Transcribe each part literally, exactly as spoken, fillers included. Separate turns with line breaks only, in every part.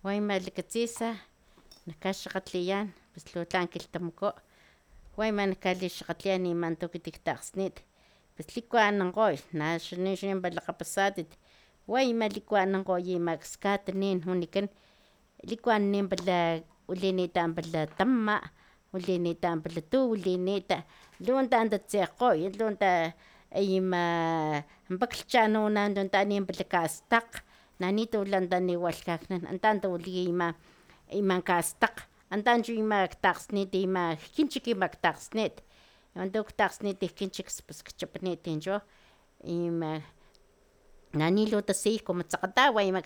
Wayma likatzisa nakaxakgatliyan pus lhuwa tlan kilhtamaku wayma nakalixakgatliyan ima tuku tiktakgsnit pus likuanankgoy naxa chimpara lakgapasatit wayma likuanankgoy ama skatanin wanikan likuanani pala wilinitan pala tama wilinitan pala tu wilinita lhuwa tatatsekgoy lhuwa ta ima paklhchan tu tani pala kastakg nanitula taniwalhkaknan anta tawiliya ima ima kastakg anta chu ama ktakgsnit ima kinchik ima ktakgsnit mantu ktakgsnit kinchik pus kchapanit cho ima nani lu tasiyaj como tsakgatawa ima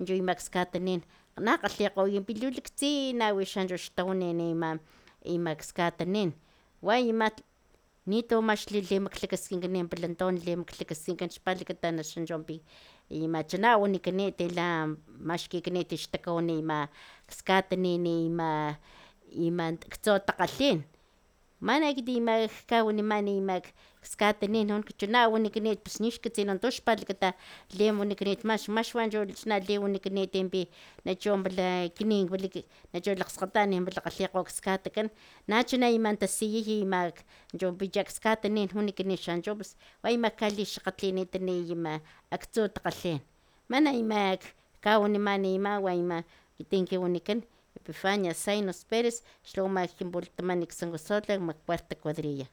chu ima skatanin na kgalhikgoya pilu laktsin wix xtawani ima ima skatanin wayma nitu max limaklakaskinkan pala limaklakaskinkan xpalakata naxa pi ima chana wanikanit la maxkikanit xtakawani ima skatanin ima ima ktso takgalhin man ekit ima kawaniman ima skatanin chuna wanikanit pus nixkatsinan tu xpalakata liwanikanit max maxwanchu chuna liwanikanit pi nachu pala kini nachu lakgskgatan pala kgalhikgo skatakan nachuna ima tasiyaj ima chunpich skatanin wanikanit xanchu pus wayma kalixakgatlinitani ima aktsu takgalhin mana ima kawaniman ima wayma ekiti kiwanikan epifania zainos perez xlawama kin pulataman san josotla puerto cuadrilla